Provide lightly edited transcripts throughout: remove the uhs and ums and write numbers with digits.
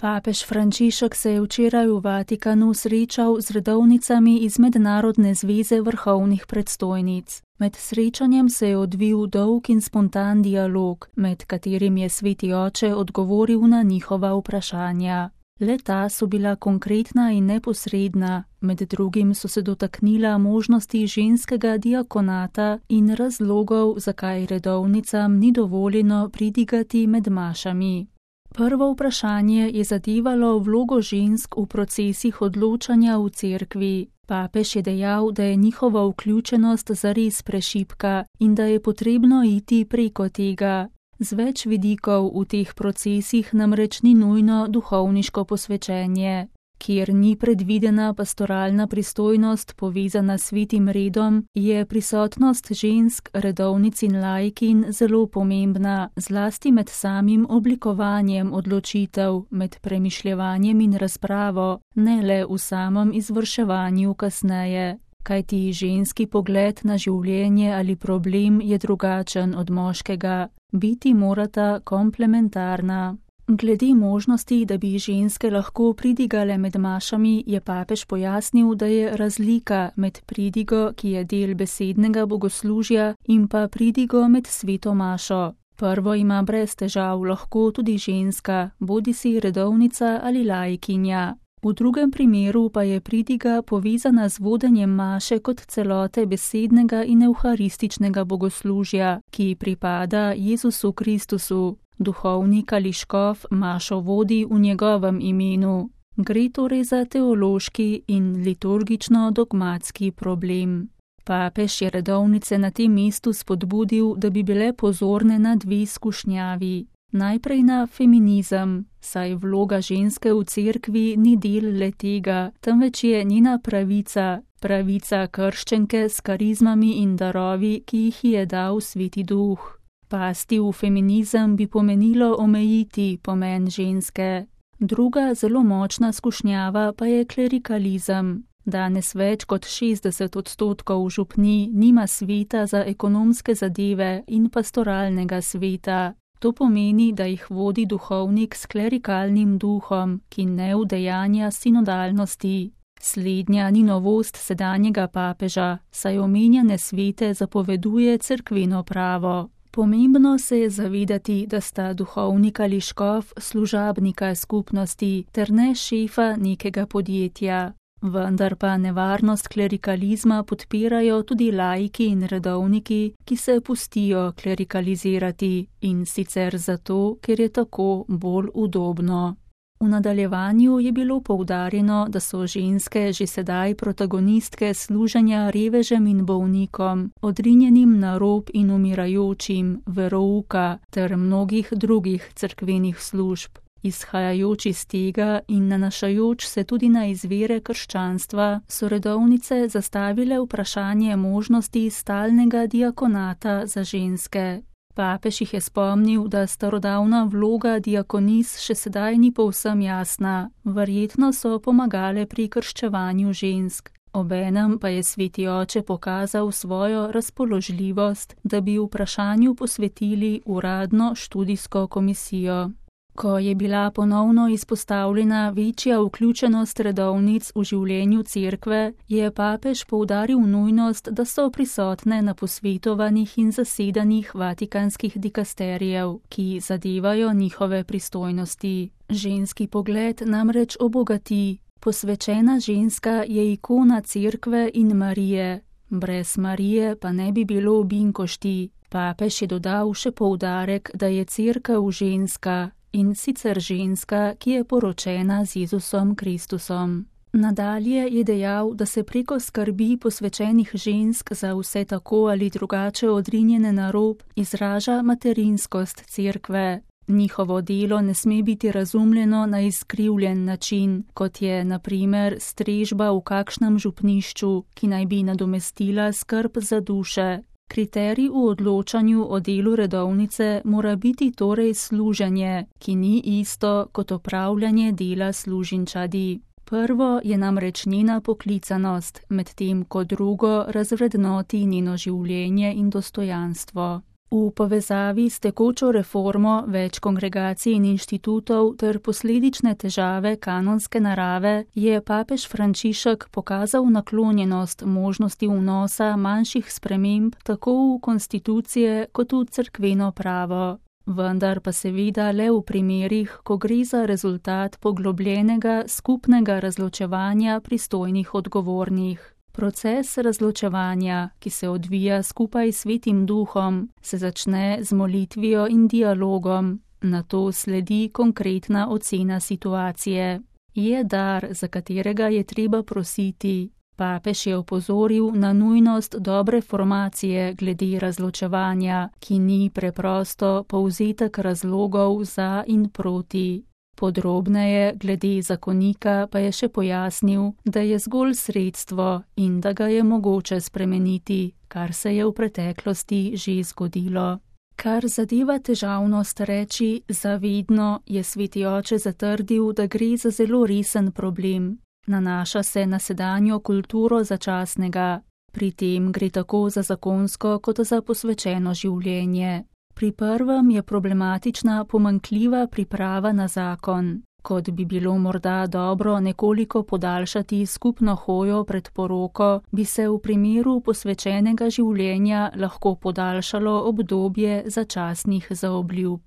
Papež Frančišek se je včeraj v Vatikanu srečal z redovnicami iz Mednarodne zveze vrhovnih predstojnic. Med srečanjem se je odvil dolg in spontan dialog, med katerim je Sveti oče odgovoril na njihova vprašanja. Le-ta so bila konkretna in neposredna, med drugim so se dotaknila možnosti ženskega diakonata in razlogov, zakaj redovnicam ni dovoljeno pridigati med mašami. Prvo vprašanje je zadevalo vlogo žensk v procesih odločanja v cerkvi. Papež je dejal, da je njihova vključenost zares prešibka in da je potrebno iti preko tega. Z več vidikov v teh procesih namreč ni nujno duhovniško posvečenje. Kjer ni predvidena pastoralna pristojnost povezana s svetim redom, je prisotnost žensk, redovnic in laikin zelo pomembna, zlasti med samim oblikovanjem odločitev, med premišljevanjem in razpravo, ne le v samem izvrševanju kasneje. Kajti ženski pogled na življenje ali problem je drugačen od moškega. Biti morata komplementarna. Glede možnosti, da bi ženske lahko pridigale med mašami, je papež pojasnil, da je razlika med pridigo, ki je del besednega bogoslužja, in pa pridigo med sveto mašo. Prvo ima brez težav lahko tudi ženska, bodisi redovnica ali laikinja. V drugem primeru pa je pridiga povezana z vodenjem maše kot celote besednega in evharističnega bogoslužja, ki pripada Jezusu Kristusu. Duhovnik ali škof mašo vodi v njegovem imenu. Gre torej za teološki in liturgično-dogmatski problem. Papež je redovnice na tem mestu spodbudil, da bi bile pozorne na dve skušnjavi. Najprej na feminizem, saj vloga ženske v cerkvi ni del le tega, temveč je njena pravica, pravica krščenke s karizmami in darovi, ki jih je dal Sveti Duh. Pasti v feminizem bi pomenilo omejiti pomen ženske. Druga zelo močna skušnjava pa je klerikalizem. Danes več kot 60% župnij nima sveta za ekonomske zadeve in pastoralnega sveta. To pomeni, da jih vodi duhovnik s klerikalnim duhom, ki ne udejanja sinodalnosti. Slednja ni novost sedanjega papeža, saj omenjene svete zapoveduje cerkveno pravo. Pomembno se je zavedati, da sta duhovnik ali škof služabnika skupnosti, ter ne šefa nekega podjetja. Vendar pa nevarnost klerikalizma podpirajo tudi laiki in redovniki, ki se pustijo klerikalizirati, in sicer zato, ker je tako bolj udobno. V nadaljevanju je bilo poudarjeno, da so ženske že sedaj protagonistke služenja revežem in bolnikom, odrinjenim na rob in umirajočim, verouka ter mnogih drugih cerkvenih služb. Izhajajoč iz tega in nanašajoč se tudi na izvire krščanstva, so redovnice zastavile vprašanje možnosti stalnega diakonata za ženske. Papež jih je spomnil, da starodavna vloga diakonis še sedaj ni povsem jasna, verjetno so pomagale pri krščevanju žensk. Obenem pa je Sveti oče pokazal svojo razpoložljivost, da bi vprašanju posvetili uradno študijsko komisijo. Ko je bila ponovno izpostavljena večja vključenost redovnic v življenju cerkve, je papež poudaril nujnost, da so prisotne na posvetovanjih in zasedanjih vatikanskih dikasterijev, ki zadevajo njihove pristojnosti. Ženski pogled namreč obogati. Posvečena ženska je ikona cerkve in Marije. Brez Marije pa ne bi bilo Binkošti. Papež je dodal še poudarek, da je cerkev ženska. In sicer ženska, ki je poročena z Jezusom Kristusom. Nadalje je dejal, da se preko skrbi posvečenih žensk za vse tako ali drugače odrinjene na rob izraža materinskost cerkve. Njihovo delo ne sme biti razumljeno na izkrivljen način, kot je, na primer, strežba v kakšnem župnišču, ki naj bi nadomestila skrb za duše. Kriterij v odločanju o delu redovnice mora biti torej služenje, ki ni isto kot opravljanje dela služinčadi. Prvo je namreč njena poklicanost, medtem ko drugo razvrednoti njeno življenje in dostojanstvo. V povezavi s tekočo reformo več kongregacij in inštitutov ter posledične težave kanonske narave je papež Frančišek pokazal naklonjenost možnosti vnosa manjših sprememb tako v konstitucije kot v cerkveno pravo. Vendar pa seveda le v primerih, ko gre za rezultat poglobljenega skupnega razločevanja pristojnih odgovornih. Proces razločevanja, ki se odvija skupaj s Svetim Duhom, se začne z molitvijo in dialogom, nato sledi konkretna ocena situacije. Je dar, za katerega je treba prositi. Papež je opozoril na nujnost dobre formacije glede razločevanja, ki ni preprosto povzetek razlogov za in proti. Podrobneje glede zakonika pa je še pojasnil, da je zgolj sredstvo in da ga je mogoče spremeniti, kar se je v preteklosti že zgodilo. Kar zadeva težavnost reči zavedno, je Sveti oče zatrdil, da gre za zelo resen problem. Nanaša se na sedanjo kulturo začasnega. Pri tem gre tako za zakonsko kot za posvečeno življenje. Pri prvem je problematična pomanjkljiva priprava na zakon. Kot bi bilo morda dobro nekoliko podaljšati skupno hojo pred poroko, bi se v primeru posvečenega življenja lahko podaljšalo obdobje začasnih zaobljub.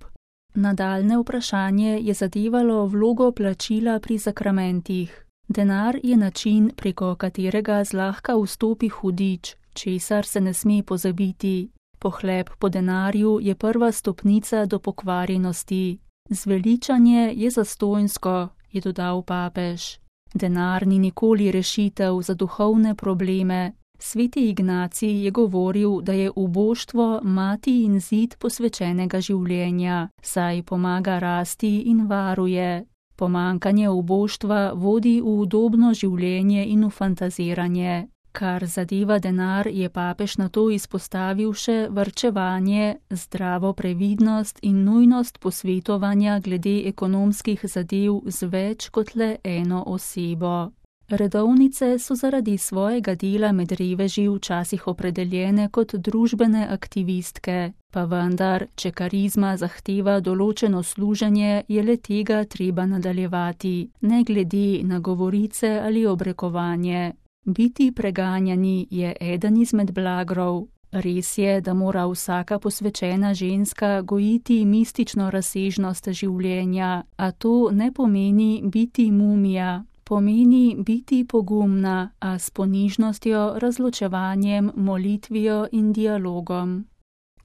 Nadaljnje vprašanje je zadevalo vlogo plačila pri sakramentih. Denar je način, preko katerega zlahka vstopi hudič, česar se ne sme pozabiti. Pohlep po denarju je prva stopnica do pokvarjenosti. Zveličanje je zastonjsko, je dodal papež. Denar ni nikoli rešitev za duhovne probleme. Sveti Ignacij je govoril, da je uboštvo mati in zid posvečenega življenja, saj pomaga rasti in varuje. Pomanjkanje uboštva vodi v udobno življenje in v fantaziranje. Kar zadeva denar, je papež nato izpostavil še varčevanje, zdravo previdnost in nujnost posvetovanja glede ekonomskih zadev z več kot le eno osebo. Redovnice so zaradi svojega dela med reveži včasih opredeljene kot družbene aktivistke, pa vendar, če karizma zahteva določeno služenje, je le tega treba nadaljevati, ne glede na govorice ali obrekovanje. Biti preganjani je eden izmed blagrov. Res je, da mora vsaka posvečena ženska gojiti mistično razsežnost življenja, a to ne pomeni biti mumija. Pomeni biti pogumna, a s ponižnostjo, razločevanjem, molitvijo in dialogom.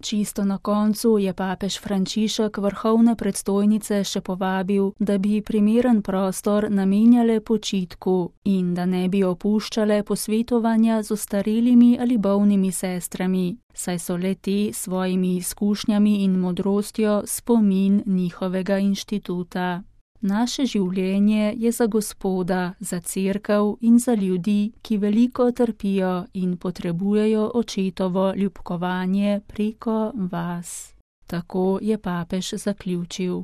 Čisto na koncu je papež Frančišek vrhovne predstojnice še povabil, da bi primeren prostor namenjale počitku in da ne bi opuščale posvetovanja z ostarelimi ali bolnimi sestrami, saj so le te svojimi izkušnjami in modrostjo spomin njihovega inštituta. Naše življenje je za Gospoda, za cerkev in za ljudi, ki veliko trpijo in potrebujejo očetovo ljubkovanje preko vas. Tako je papež zaključil.